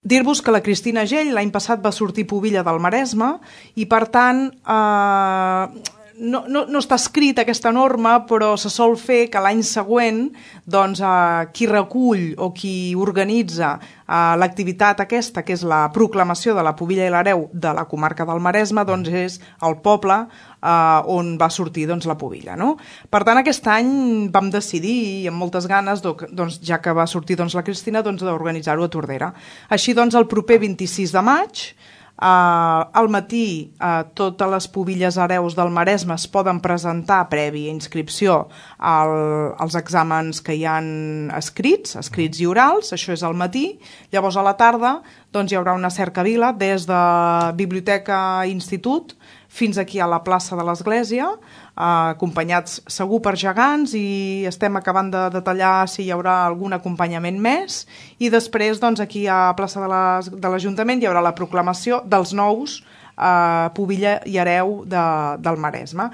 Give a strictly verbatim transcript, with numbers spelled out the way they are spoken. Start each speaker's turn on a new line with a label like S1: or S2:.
S1: dir-vos que la Cristina Gell l'any passat va sortir pubilla del Maresme i, per tant, eh, no, no, no està escrit aquesta norma, però se sol fer que l'any següent doncs, eh, qui recull o qui organitza eh, l'activitat aquesta, que és la proclamació de la pubilla i l'hereu de la comarca del Maresme, doncs és el poble Uh, on va sortir doncs, la pubilla. No? Per tant, aquest any vam decidir, amb moltes ganes, doncs, ja que va sortir doncs, la Cristina, doncs, d'organitzar-ho a Tordera. Així, doncs, el proper vint-i-sis de maig, uh, al matí, uh, totes les pubilles hereus del Maresme es poden presentar prèvia inscripció al, als exàmens que hi han escrits, escrits i orals, això és al matí. Llavors, a la tarda, doncs, hi haurà una cercavila des de Biblioteca i Institut fins aquí a la plaça de l'Església, eh, acompanyats segur per gegants, i estem acabant de detallar si hi haurà algun acompanyament més, i després doncs, aquí a la plaça de l'Ajuntament hi haurà la proclamació dels nous eh, pubilla i hereu de, del Maresme.